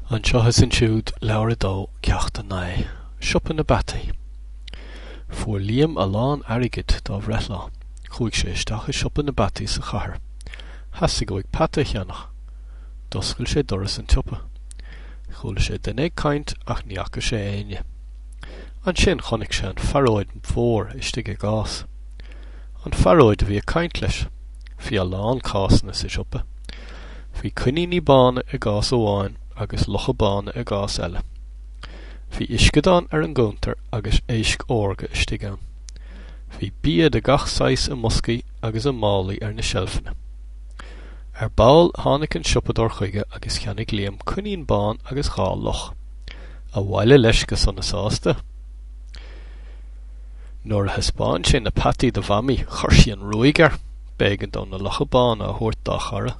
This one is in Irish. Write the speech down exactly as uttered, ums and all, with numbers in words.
Anseo is ansiúd, leabhar a dó, ceacht a naoi, Siopa na bPeataí. Fuair Liam a lán airgid dá bhreithlá. Chuaigh sé isteach i siopa na bpeataí sa chathair. Theastaigh uaidh peata a cheannach. D'oscail sé doras an tsiopa. Chuala sé duine ag caint ach ní fhaca sé éinne. Ansin chonaic sé an phearóid mhór istigh i gcás. An phearóid a bhí ag caint leis. Bhí a lán cásanna sa siopa. Bhí coiníní bána i gcás amháin agus lucha bána i gcás eile. Bhí uisceadán ar an gcuntar agus éisc órga istigh ann. Bhí bia de gach saghas i mboscaí agus i málaí ar na seilfeanna. Ar ball tháinig an siopadóir chuige agus cheannaigh Liam coinín bán agus dhá luch. Abhaile leis go sona sásta. Nuair a thaispeáin sé na peataí do Mhamaí, chuir sí an ruaig air. B'éigean dó na lucha bána a thabhairt dá chara.